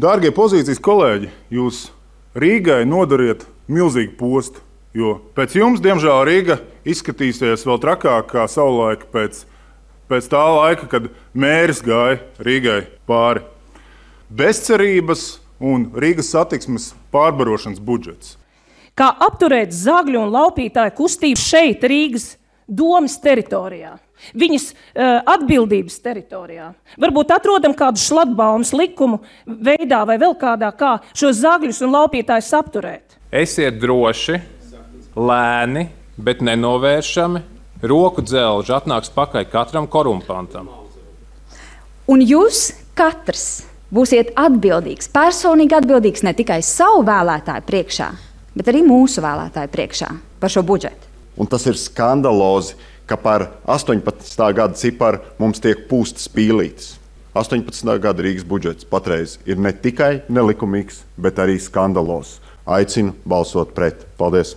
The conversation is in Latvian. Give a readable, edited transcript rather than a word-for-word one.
Dārgie pozīcijas kolēģi, jūs Rīgai nodariet milzīgu postu, jo pēc jums, diemžēl, Rīga izskatīsies vēl trakāk kā savulaik pēc tā laika, kad mēris gāja Rīgai pāri. Bezcerības un Rīgas satiksmes pārbarošanas budžets. Kā apturēt zagļu un laupītāju kustību šeit, Rīgas domas teritorijā, viņas atbildības teritorijā. Varbūt atrodam kādu šlatbaumas likumu veidā vai vēl kādā, kā šos zagļus un laupītājus apturēt. Esiet droši, lēni, bet nenovēršami, roku dzelži atnāks pakaļ katram korumpantam. Un jūs katrs būsiet atbildīgs, personīgi atbildīgs ne tikai savu vēlētāju priekšā, bet arī mūsu vēlētāju priekšā par šo budžetu. Un tas ir skandalozi, ka par 18. gada ciparu mums tiek pūstas pīlītes. 18. gada Rīgas budžets patreiz ir ne tikai nelikumīgs, bet arī skandalozs. Aicinu balsot pret. Paldies!